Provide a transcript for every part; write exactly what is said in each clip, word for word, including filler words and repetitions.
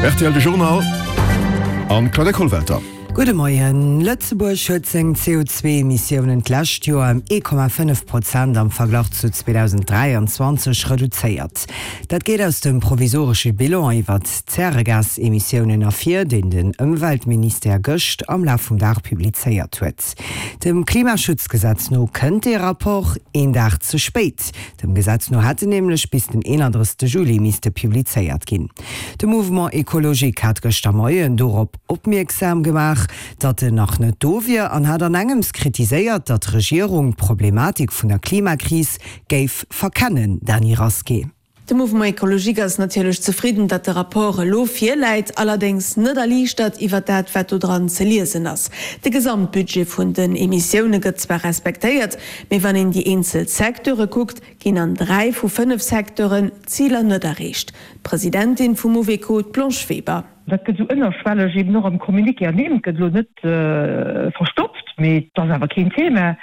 R T L de Journal an Claudia Kollwelter. Gudde Moien. Lëtzebuerg huet seng C O zwee Emissiounen d'lescht Joer ëm ee Komma fënnef Prozent am Verglach zu zweedausend dräianzwanzeg reduzéiert. Dat geet aus dem provisoresche Bilan iwwert d'Zäregasemissiounen ervir, deen den Ëmweltministère gëscht am Laf vum Dag publizéiert huet. Dem Klimaschutzgesetz no kënnt dee Rapport een Dag ze spéit. Dem Gesetz no hätt en nämlech bis den eenandrëssegste Juli misste publizéiert ginn. De Mouvement Ecologique hat gëschter Moien dorop opmierksam gemaach, datt en nach net do wier an hat an engems kritiséiert, datt d'Regierung d'Problematik vun der Klimakris géif verkennen. Dany Rasqué. De Mouvement Ecologique ass natierlech zefridden, datt de Rapport elo virläit, allerdéngs net erliichtert iwwer dat, wat do dran ze liesen ass. De Gesamtbudget vun den Emissioune gëtt zwar respektéiert, mee wann een déi eenzel Secteure kuckt, ginn an dräi vu fënnef Secteuren d'Ziler net erreecht. D'Presidentin vum Mouveco, d'Blanche Weber. Dat gëtt esou ënnerschwelleg eben och am Communiqué ernimmt, gëtt elo net verstoppt, mee et ass awer keen Thema,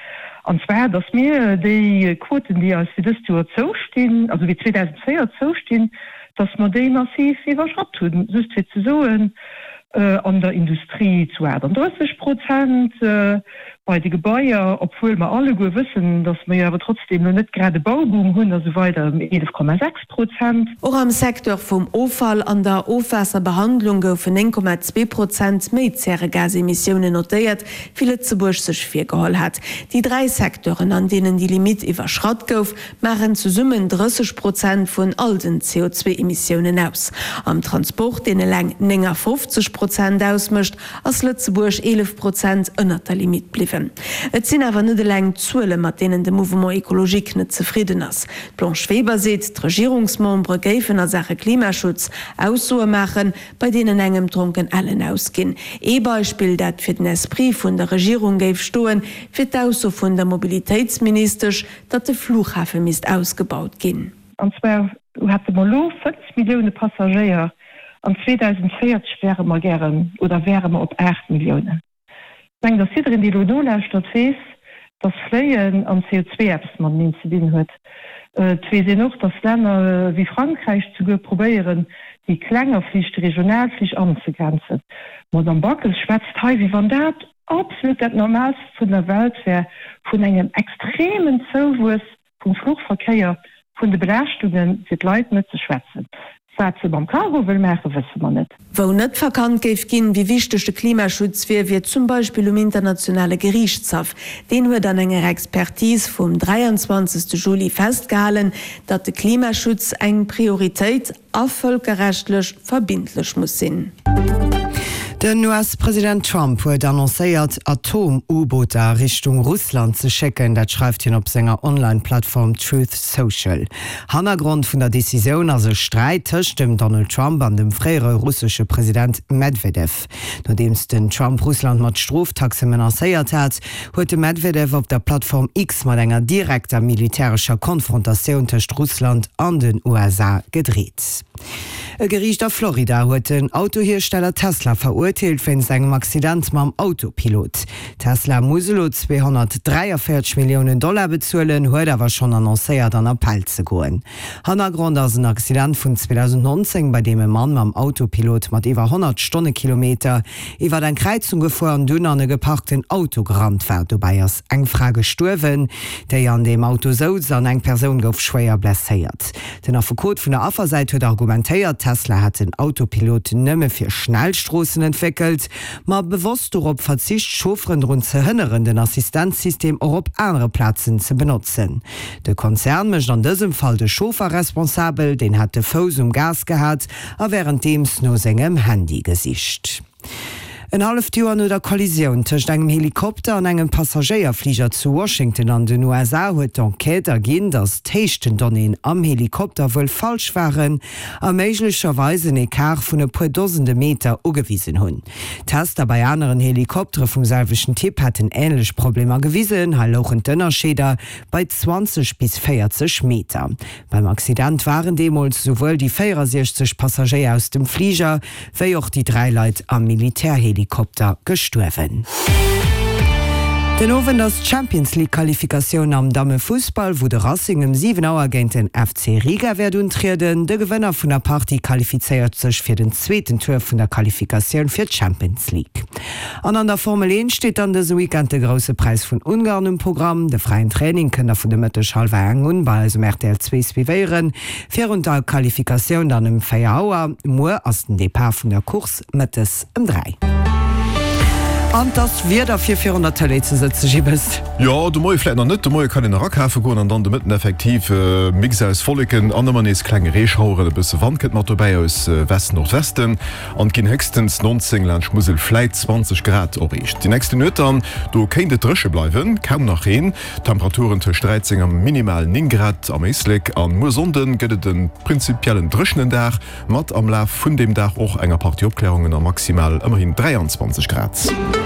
an zwar datt mir déi Quoten, déi eis fir dëst Joer zoustinn, also fir zweedausendvéier zoustinn, datt mer déi massiv iwwerschratt hunn. Just fir ze soen, an der Industrie zu achtandrësseg Prozent, bei de Gebaier, obwuel mer alleguer wëssen, datt mer jo awer trotzdem elo net grad e Bauboom hunn a sou weider, ëm eelef Komma sechs Prozent. Och am Secteur vum Offall an der Ofwaasserbehandlung goufen néng Komma zwee Prozent méi Zäregasemissiounen notéiert, wéi Lëtzebuerg sech virgeholl hat. Déi dräi Secteuren, an deenen déi Limitt iwwerschratt gouf, maachen zesummen drësseg Prozent vun all den C O zwee Emissiounen aus. Am Transport, deen eleng néngafofzeg Prozent ausmécht, ass Lëtzebuerg eelef Prozent ënnert der Limitt bliwwen. Et sinn awer net eleng d'Zuele mat deenen de Mouvement Ecologique net zefridden ass. D'Blanche Weber seet, d'Regierungsmembere géifen a Saache Klimaschutz Aussoe maachen, bei deenen engem d'Dronken ellen ausginn. Ee Beispill, dat fir den Esprit vun der Regierung géif stoen, wier d'Ausso vun der Mobilitéitsministesch, datt de Flughafe misst ausgebaut ginn. An zwar hate mer elo fënnf Millioune Passagéier, an zweedausendvéierzeg wäre mer gären oder wäre mer op aacht Milliounen. Ech mengen, datt jiddereen, dee elo nolauschtert, weess, datt Fléien an C O zwee eppes mateneen ze dinn huet. Et weess een och, datt Länner wéi Frankräich souguer probéieren, déi klenger Flich, déi regional Flich anzegrenzen. D'Madame Backes schwätzt hei, wéi wann dat absolut dat Normaalst vun der Welt wär, vun engem extremen Zouwuess vum Fluchverkéier, vun de Belaaschtungen, fir d'Leit net ze schwätzen. Wat se mam Cargo wëll maachen, wësse mer net. Wou net verkannt géif ginn, wéi wichteg de Klimaschutz wier, wier zum Beispill um internationale Geriichtshaff. Deen huet an enger Expertise vum dräianzwanzegste Juli festgehalen, datt de Klimaschutz eng Prioritéit a vëlkerrechtlech verbindlech muss sinn. Den U S-President Trump huet annoncéiert, Atom-U-Booter a Richtung Russland ze schécken. Dat schreift hien op senger Online-Plattform Truth Social. Hannergrond vun der Decisioun ass e Sträit tëscht dem Donald Trump an dem fréiere russesche President Medvedev. Nodeems den Trump Russland mat Stroftaxe menacéiert hat, huet de Medvedev op der Plattform X mat enger direkter militärescher Konfrontatioun tëscht Russland an den U S A gedreet. E Geriicht a Florida huet den Autohiersteller Tesla verurteelt wéinst engem Accident mam Autopilot. Tesla muss elo zweehonnertdräiavéierzeg Milliounen Dollar bezuelen, huet awer schonn annoncéiert an Appell ze goen. Hannergrond ass en Accident vun zweedausendnonzéng, bei deem e Mann mam Autopilot mat iwwer honnert Stonnekilometer iwwer eng Kräizung gefuer an dunn an e geparkten Auto gerannt war. Dobäi ass eng Fra gestuerwen, déi an deem Auto souz, an eng Persoun gouf schwéier blesséiert. Den Affekot vun der Affersäit huet argumentéiert, Tesla hätt den Autopilot nëmme fir Schnellstroossen entwéckelt, ma bewosst dorop verzicht, Chaufferen drun ze hënneren, den Assistenzsystem och op anere Plazen ze benotzen. De Konzern mécht an dësem Fall de Chauffer responsabel, deen hätt de Fouss um Gas gehat a wärenddeems no sengem Handy gesicht. En halleft Joer no der Kollisioun tëscht engem Helikopter an engem Passagéierfliger zu Washington an den U S A huet d'Enquête erginn, datt d'Héichtendonnéeën am Helikopter wuel falsch waren a méiglecherweis en Ecart vun e puer dosende Meter ugewisen hunn. Tester bei aneren Helikoptere vum selwechten Typ hätten änlech Problemer gewisen, hei louchen d'Ënnerscheeder bei zwanzeg bis véierzeg Meter. Beim Accident waren deemools souwuel déi véierasiechzeg Passagéier aus dem Fliger wéi och déi dräi Leit am Militärhelikopter gestuerwen. Den Owend ass d'Champions League Qualifikatioun am Dammefussball, wou de Racing ëm siwen Auer géint den F C Riga wäert untrieden. De Gewënner vun der Partie qualifizéiert sech fir den zweeten Tour vun der Qualifikatioun fir d'Champions League. An an der Formel eent steet dann dëse Weekend de Grousse Präis vun Ungarn um Programm. De fräien Training kënnt der vun de Mëtteg hallwer eng un bei eis um R T L zwee suivéieren. Virun der Qualifikatioun dann ëm véier Auer. Muer ass den Depart vun der Course mëttes ëm dräi. An 't ass Wieder fir virun der Tëlee ze sëtzen, Gibbes. Jo, de Moie vläit nach net, de Moie kann een nach akafe goen an dann de Mëtten effektiv Mix aus Wolleken an ëmmer nees klenge Reeschaueren. E bësse Wand kënnt mat dobäi aus West-Nordwesten an et ginn héchstens neunzéng, laanscht Musel vläit zwanzeg Grad erreecht. Déi nächste Nuet dann, do kéint et dréche bleiwen, kaum nach Reen, Temperaturen tëscht dräizéng a minimal néng Grad am Éislek. An muer Sonnde gëtt et e prinzipiellen dréchenen Dag, mat am Laf vun deem Dag och enger Partie Opklärungen a maximal ëmmerhin dräianzwanzeg Grad.